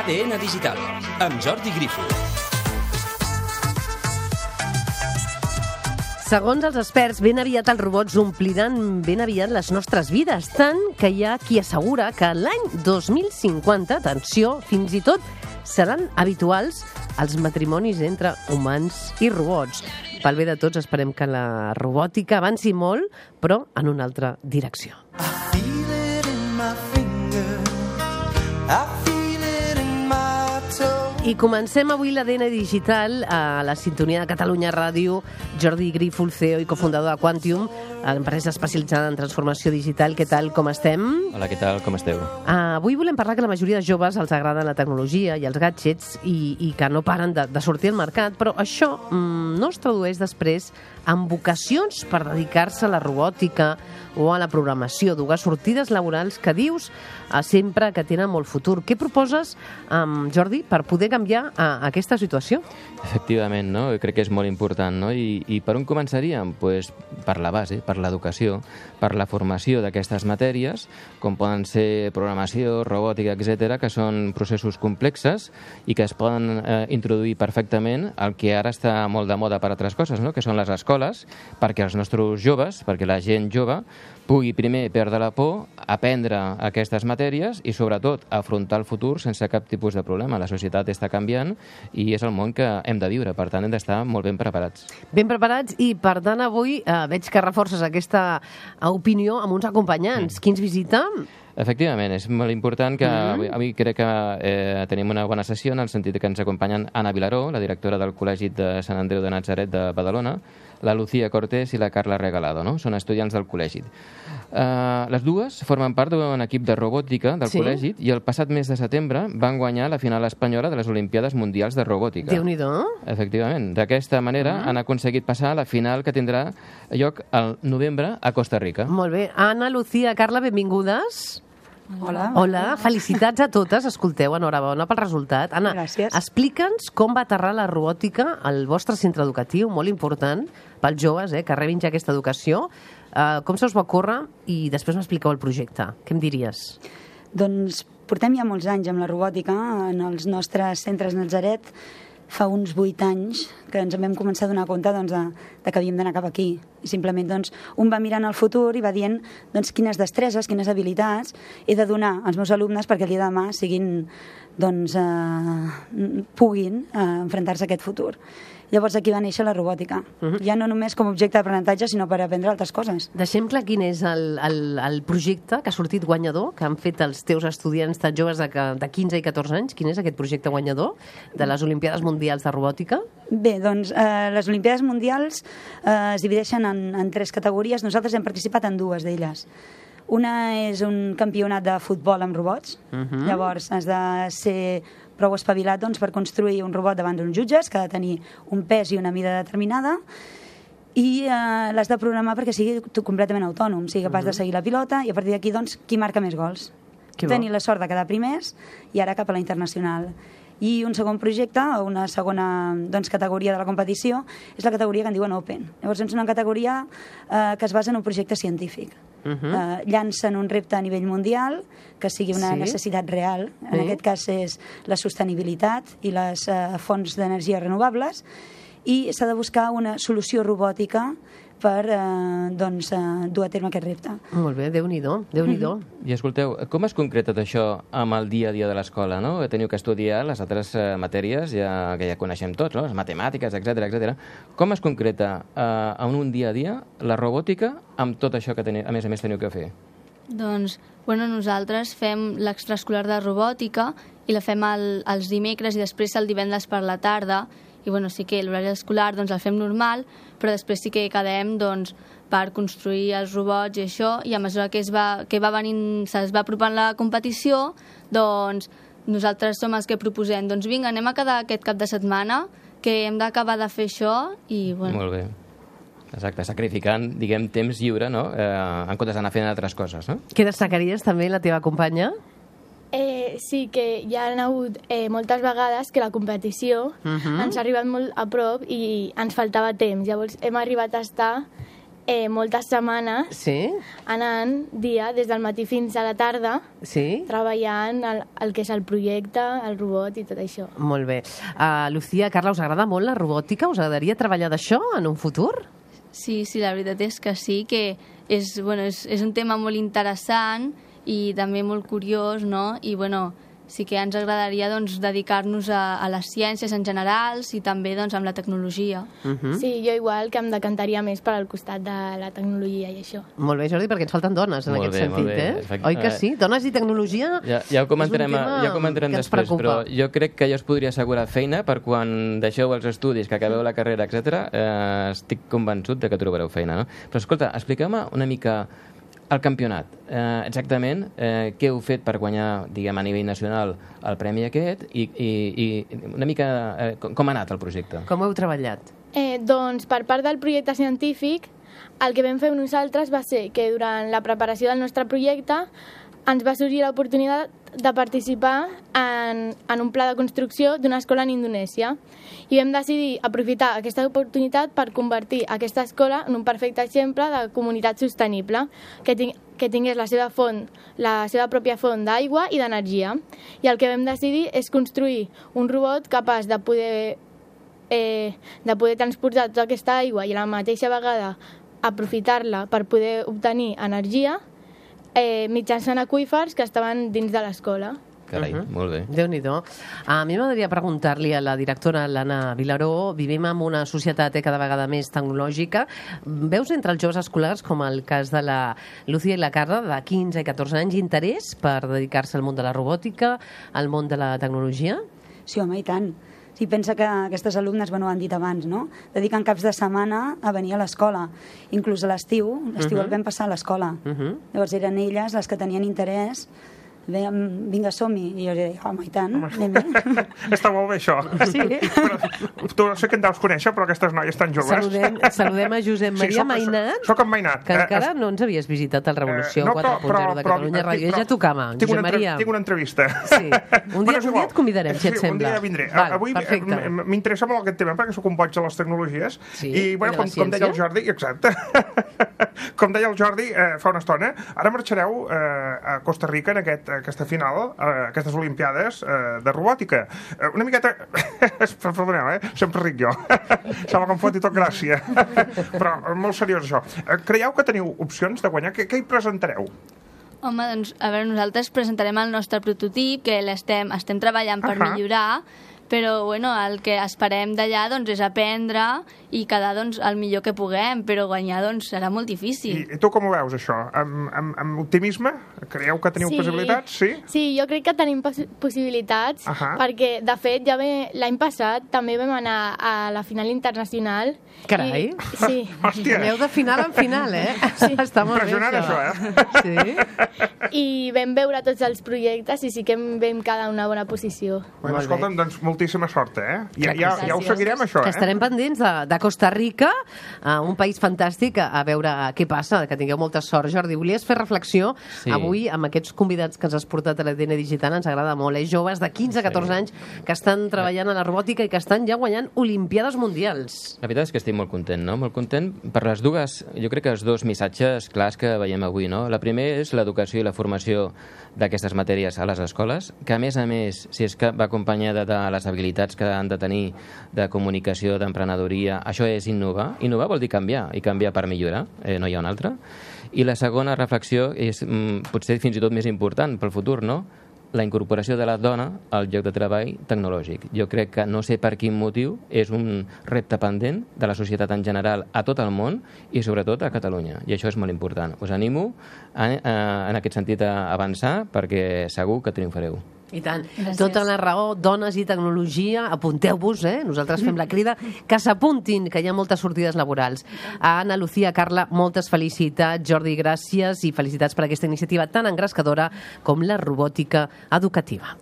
ADN Digital, amb Jordi Grifo. Segons els experts, ben aviat els robots ompliran ben aviat les nostres vides, tant que hi ha qui assegura que l'any 2050, atenció, fins i tot seran habituals els matrimonis entre humans i robots. Pel bé de tots, esperem que la robòtica avanci molt, però en una altra direcció. I comencem avui l'ADN Digital a la sintonia de Catalunya Ràdio. Jordi Grifo, CEO i cofundador de Quantium, empresa especialitzada en transformació digital. Què tal, com estem? Hola, què tal, com esteu? Avui volem parlar que la majoria de joves els agrada la tecnologia i els gadgets i que no paren de sortir al mercat, però això no es tradueix després en vocacions per dedicar-se a la robòtica o a la programació, dues sortides laborals que dius sempre que tenen molt futur. Què proposes, Jordi, per poder canviar aquesta situació? Efectivament, no? Jo crec que és molt important, no? I per on començaríem? Pues per la base, per l'educació, per la formació d'aquestes matèries, com poden ser programació, robòtica, etc., que són processos complexes i que es poden introduir perfectament al que ara està molt de moda per altres coses, no? Que són les escoles, perquè els nostres joves, perquè la gent jove pugui primer perdre la por, aprendre aquestes matèries i, sobretot, afrontar el futur sense cap tipus de problema. La societat està canviant i és el món que hem de viure. Per tant, hem d'estar molt ben preparats. Ben preparats i, per tant, avui veig que reforces aquesta opinió amb uns acompanyants. Qui ens visita? Efectivament, és molt important que avui crec que tenim una bona sessió en el sentit que ens acompanyen Anna Vilaró, la directora del Col·legi de Sant Andreu de Natzaret de Badalona, la Lucía Cortés i la Carla Regalado, no? Són estudiants del col·legi. Les dues formen part d'un equip de robòtica del col·legi i el passat mes de setembre van guanyar la final espanyola de les Olimpiades Mundials de Robòtica. Déu-n'hi-do. Efectivament. D'aquesta manera han aconseguit passar a la final que tindrà lloc al novembre a Costa Rica. Molt bé. Anna, Lucía, Carla, benvingudes. Hola. Hola, felicitats a totes. Escolteu, enhorabona pel resultat. Anna, gràcies. Explica'ns com va aterrar la robòtica al vostre centre educatiu, molt important pels joves, que rebin ja aquesta educació. Com se us va ocórrer? I després m'expliqueu el projecte. Què em diries? Doncs portem ja molts anys amb la robòtica en els nostres centres Natzaret. Fa uns 8 anys que ens en vam començar a donar compte de que havíem d'anar cap aquí. I simplement un va mirant el futur i va dient quines destreses, quines habilitats he de donar als meus alumnes perquè el dia de demà puguin enfrontar-se a aquest futur. Llavors aquí va néixer la robòtica. Ja no només com a objecte d'aprenentatge, sinó per aprendre altres coses. Deixem clar quin és el projecte que ha sortit guanyador, que han fet els teus estudiants tan joves de 15 i 14 anys. Quin és aquest projecte guanyador de les Olimpiades Mundials de Robòtica? Bé, doncs les Olimpiades Mundials es divideixen en 3 categories. Nosaltres hem participat en 2 d'elles. Una és un campionat de futbol amb robots. Llavors has de ser prou espavilat per construir un robot davant d'uns jutges que ha de tenir un pes i una mida determinada i l'has de programar perquè sigui completament autònom, sigui capaç de seguir la pilota i a partir d'aquí qui marca més gols. Tenir la sort de quedar primers i ara cap a la internacional. I un segon projecte, o una segona categoria de la competició, és la categoria que en diuen Open. Llavors és una categoria que es basa en un projecte científic. Llancen un repte a nivell mundial que sigui una necessitat real. En aquest cas és la sostenibilitat i les fonts d'energia renovables i s'ha de buscar una solució robòtica per dur a terme aquest repte. Molt bé, Déu-n'hi-do, Déu-n'hi-do. I escolteu, com es concreta tot això amb el dia a dia de l'escola, no? Teniu que estudiar les altres matèries que ja coneixem tots, no? Les matemàtiques, etc. Com es concreta en un dia a dia la robòtica amb tot això que a més teniu que fer? Doncs, nosaltres fem l'extraescolar de robòtica i la fem els dimecres i després el divendres per la tarda. I sí que l'horari escolar el fem normal, però després sí que quedem per construir els robots i això, i a mesura que se'ls va apropant la competició, nosaltres som els que proposem, vinga, anem a quedar aquest cap de setmana, que hem d'acabar de fer això, i Molt bé. Exacte, sacrificant, temps lliure, no? En comptes d'anar fent altres coses, no? Què destacaries també la teva companya? Sí, que hi ha hagut moltes vegades que la competició ens ha arribat molt a prop i ens faltava temps. Llavors hem arribat a estar moltes setmanes anant dia des del matí fins a la tarda treballant el que és el projecte, el robot i tot això. Molt bé. Lucía, Carla, us agrada molt la robòtica? Us agradaria treballar d'això en un futur? Sí, la veritat és que sí, que és un tema molt interessant i també molt curiós, no? I, sí que ens agradaria dedicar-nos a les ciències en general i també amb la tecnologia. Sí, jo igual que em decantaria més per al costat de la tecnologia i això. Molt bé, Jordi, perquè ens falten dones en aquest sentit, eh? Oi que sí? Dones i tecnologia ja ho comentarem després, però jo crec que ja us podria assegurar feina per quan deixeu els estudis, que acabeu la carrera, etc. Estic convençut de que trobareu feina, no? Però escolta, expliqueu-me una mica el campionat. Exactament què heu fet per guanyar, diguem, a nivell nacional el premi aquest i una mica com ha anat el projecte? Com heu treballat? Doncs per part del projecte científic el que vam fer nosaltres va ser que durant la preparació del nostre projecte ens va sorgir l'oportunitat de participar en un pla de construcció d'una escola en Indonèsia i vam decidir aprofitar aquesta oportunitat per convertir aquesta escola en un perfecte exemple de comunitat sostenible que tingués la seva pròpia font d'aigua i d'energia. I el que vam decidir és construir un robot capaç de poder transportar tota aquesta aigua i a la mateixa vegada aprofitar-la per poder obtenir energia mitjançant aqüífers que estaven dins de l'escola. Carai, molt bé. Déu-n'hi-do. A mi m'agradaria preguntar-li a la directora l'Anna Vilaró, vivim en una societat cada vegada més tecnològica. Veus entre els joves escolars, com el cas de la Lucía i la Carla, de 15 i 14 anys, interès per dedicar-se al món de la robòtica, al món de la tecnologia? Sí, home, i tant. Sí, pensa que aquestes alumnes, ho han dit abans, no? Dediquen caps de setmana a venir a l'escola. Inclús a l'estiu el vam passar a l'escola. Llavors eren elles les que tenien interès. Vinga, som-hi. I jo deia, home, i tant. Està molt bé, això. Sí. Tu no sé que en deus conèixer, però aquestes noies tan joves... Saludem a Josep Maria Mainat. Soc en Mainat. Que encara no ens havies visitat al Revolució 4.0 de Catalunya Ràdio. Ja tocava, Josep Maria. Tinc una entrevista. Sí. Un dia et convidarem, si et sembla. Un dia vindré. Avui m'interessa molt aquest tema, perquè sóc un boig de les tecnologies. I, com deia el Jordi... Exacte. Com deia el Jordi fa una estona, ara marxareu a Costa Rica en aquesta final, aquestes Olimpiades de robòtica. Una miqueta... Perdoneu, sempre ric jo. Sembla que em foti tot gràcia. Però molt seriós, això. Creieu que teniu opcions de guanyar? Què hi presentareu? Home, doncs, a veure, nosaltres presentarem el nostre prototip, que estem treballant per millorar, però el que esperem d'allà és aprendre i quedar el millor que puguem, però guanyar serà molt difícil. I tu com ho veus, això? Amb optimisme? Creieu que teniu possibilitats? Sí, jo crec que tenim possibilitats, perquè, de fet, ja l'any passat també vam anar a la final internacional. Carai! Sí. Hòstia! Aneu de final en final, eh? Sí. Està molt bé, impressionant, això, Sí? I vam veure tots els projectes i sí que vam quedar en una bona posició. Bueno, escolta'm, doncs moltíssima sort, eh? Ja ho seguirem, això, que estarem pendents de Costa Rica, un país fantàstic, a veure què passa, que tingueu molta sort. Jordi, volies fer reflexió avui amb aquests convidats que ens has portat a l'ADN Digital, ens agrada molt, joves de 15 a 14 anys que estan treballant a la robòtica i que estan ja guanyant Olimpiades mundials. La veritat és que estic molt content, no? Molt content per les dues, jo crec que els dos missatges clars que veiem avui, no? La primera és l'educació i la formació d'aquestes matèries a les escoles, que a més, si és que va acompanyada de les habilitats que han de tenir de comunicació, d'emprenedoria, això és innovar. Innovar vol dir canviar, i canviar per millorar, no hi ha una altra. I la segona reflexió és potser fins i tot més important pel futur, no? La incorporació de la dona al lloc de treball tecnològic. Jo crec que, no sé per quin motiu, és un repte pendent de la societat en general a tot el món i sobretot a Catalunya. I això és molt important. Us animo en aquest sentit a avançar perquè segur que triomfareu. I tant. Tota la raó, dones i tecnologia, apunteu-vos, nosaltres fem la crida, que s'apuntin, que hi ha moltes sortides laborals. A Anna, Lucía, Carla, moltes felicitats. Jordi, gràcies i felicitats per aquesta iniciativa tan engrescadora com la robòtica educativa.